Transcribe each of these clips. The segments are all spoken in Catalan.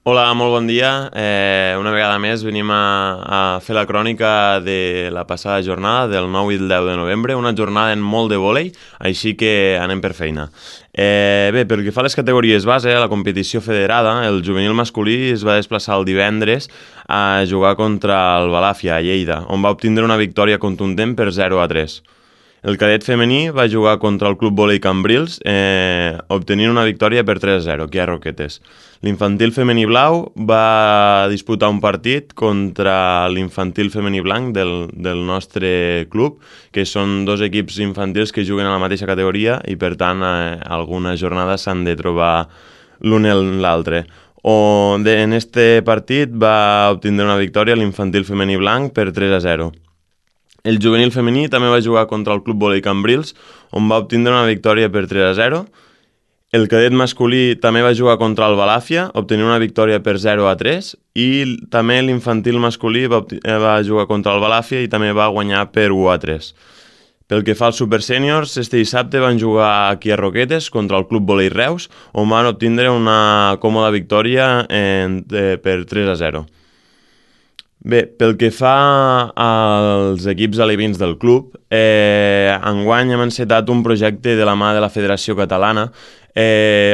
Hola, molt bon dia. Una vegada més venim a fer la crònica de la passada jornada, del 9 i el 10 de novembre, una jornada en molt de vòlei, així que anem per feina. Bé, pel que fa a les categories base, a la competició federada, el juvenil masculí es va desplaçar el divendres a jugar contra el Balàfia, a Lleida, on va obtindre una victòria contundent per 0-3. El cadet femení va jugar contra el Club Vòlei Cambrils, obtenint una victòria per 3-0, aquí a Roquetes. L'infantil femení blau va disputar un partit contra l'infantil femení blanc del nostre club, que són dos equips infantils que juguen a la mateixa categoria i, per tant, alguna jornada s'han de trobar l'un en l'altre. En este partit va obtindre una victòria l'infantil femení blanc per 3-0. El juvenil femení també va jugar contra el Club Vòlei Cambrils, on va obtindre una victòria per 3-0. El cadet masculí també va jugar contra el Balàfia, obtenint una victòria per 0-3, i també l'infantil masculí va jugar contra el Balàfia i també va guanyar per 1-3. Pel que fa als Super Seniors, este dissabte van jugar aquí a Roquetes contra el Club Vòlei Reus, on van obtindre una còmoda victòria per 3-0. Bé, pel que fa als equips alevins del club, enguany hem encetat un projecte de la mà de la Federació Catalana,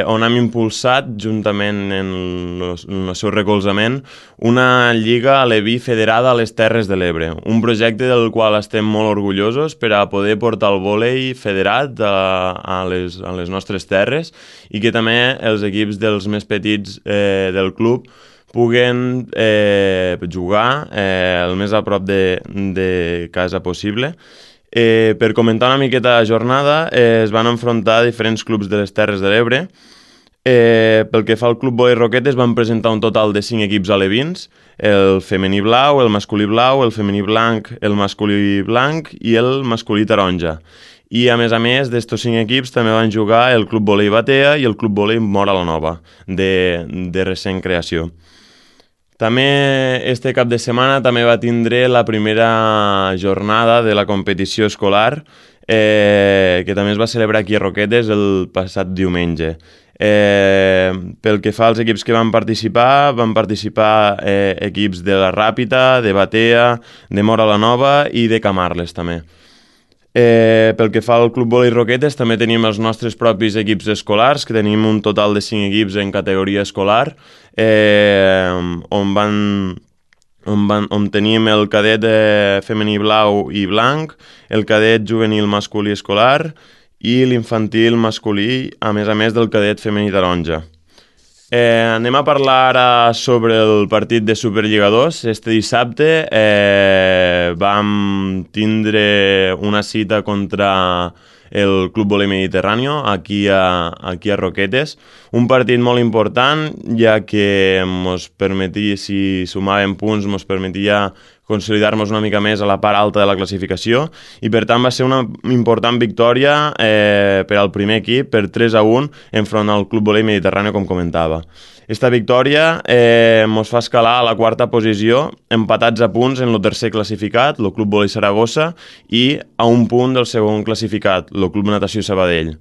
on hem impulsat, juntament en el seu recolzament, una lliga aleví federada a les Terres de l'Ebre, un projecte del qual estem molt orgullosos per a poder portar el vòlei federat a les nostres terres i que també els equips dels més petits del club puguen jugar el més a prop de casa possible. Per comentar una miqueta la jornada, es van enfrontar diferents clubs de les Terres de l'Ebre. Pel que fa al Club Vòlei Roquetes van presentar un total de 5 equips alevins, el femení blau, el masculí blau, el femení blanc, el masculí blanc i el masculí taronja. I a més d'estos 5 equips també van jugar el Club Vòlei Batea i el Club Vòlei Mora la Nova, de recent creació. També este cap de setmana també va tindre la primera jornada de la competició escolar, que també es va celebrar aquí a Roquetes el passat diumenge. Pel que fa als equips que van participar equips de la Ràpita, de Batea, de Mora la Nova i de Camarles també. Pel que fa al Club Vòlei Roquetes, també tenim els nostres propis equips escolars, que tenim un total de 5 equips en categoria escolar, on tenim el cadet femení blau i blanc, el cadet juvenil masculí escolar i l'infantil masculí, a més del cadet femení taronja. Anem a parlar ara sobre el partit de Superliga 2. Este dissabte vam tindre una cita contra el Club Vòlei Mediterráneo aquí a Roquetes, un partit molt important, ja que ens permetia, si sumàvem punts, ens permetia consolidar-nos una mica més a la part alta de la classificació, i per tant va ser una important victòria per al primer equip, per 3-1 enfront al Club Vòlei Mediterrani, com comentava. Esta victòria ens fa escalar a la quarta posició, empatats a punts en el tercer classificat, el Club Vòlei Saragossa, i a un punt del segon classificat, el Club Natació Sabadell.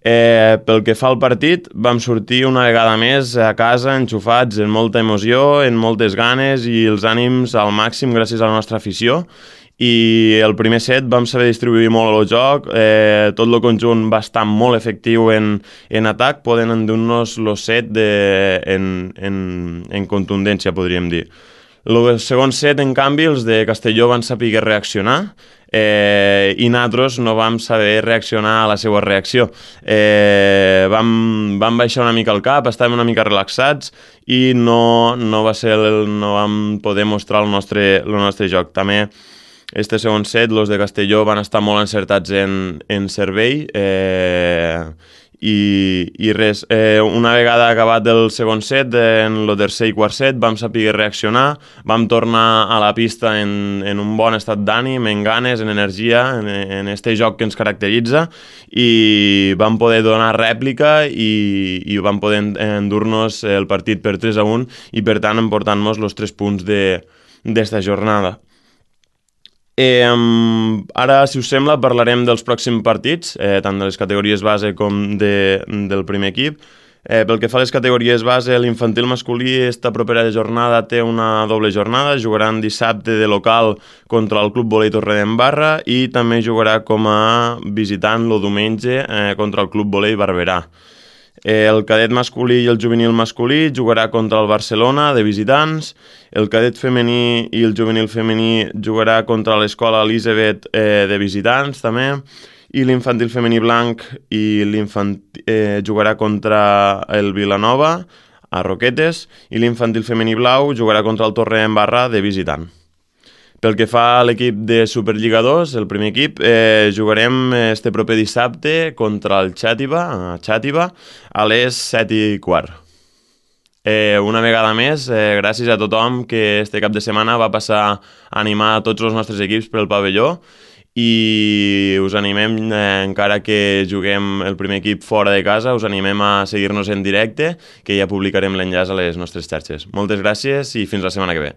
Pel que fa al partit, vam sortir una vegada més a casa enxufats en molta emoció, en moltes ganes i els ànims al màxim gràcies a la nostra afició, i el primer set vam saber distribuir molt el joc, tot el conjunt va estar molt efectiu en atac, podent endur-nos el set en contundència, podríem dir. El segon set, en canvi, els de Castelló van saber reaccionar, i nosaltres no vam saber reaccionar a la seva reacció. Vam baixar una mica el cap, estàvem una mica relaxats i no vam poder mostrar el nostre joc. També este segon set, els de Castelló van estar molt encertats en servei, i res, una vegada acabat el segon set, en el tercer i quart set vam saber reaccionar, vam tornar a la pista en un bon estat d'ànim, en ganes, en energia, en este joc que ens caracteritza, i vam poder donar rèplica i vam poder endur-nos el partit per 3-1 i per tant emportant-nos els 3 punts d'esta jornada. Ara, si us sembla, parlarem dels pròxims partits, tant de les categories base com del primer equip. Pel que fa a les categories base, l'infantil masculí esta propera jornada té una doble jornada, jugaran dissabte de local contra el Club Volei Torredembarra i també jugarà com a visitant el diumenge contra el Club Volei Barberà. El cadet masculí i el juvenil masculí jugarà contra el Barcelona de visitants, el cadet femení i el juvenil femení jugarà contra l'Escola Elisabet de visitants també, i l'infantil femení blanc jugarà contra el Vilanova a Roquetes i l'infantil femení blau jugarà contra el Torredembarra de visitant. Pel que fa a l'equip de Superliga 2, el primer equip, jugarem este proper dissabte contra el Xàtiva a les 7:15. Una vegada més, gràcies a tothom que este cap de setmana va passar a animar tots els nostres equips pel pavelló i us animem, encara que juguem el primer equip fora de casa, us animem a seguir-nos en directe, que ja publicarem l'enllaç a les nostres xarxes. Moltes gràcies i fins la setmana que ve.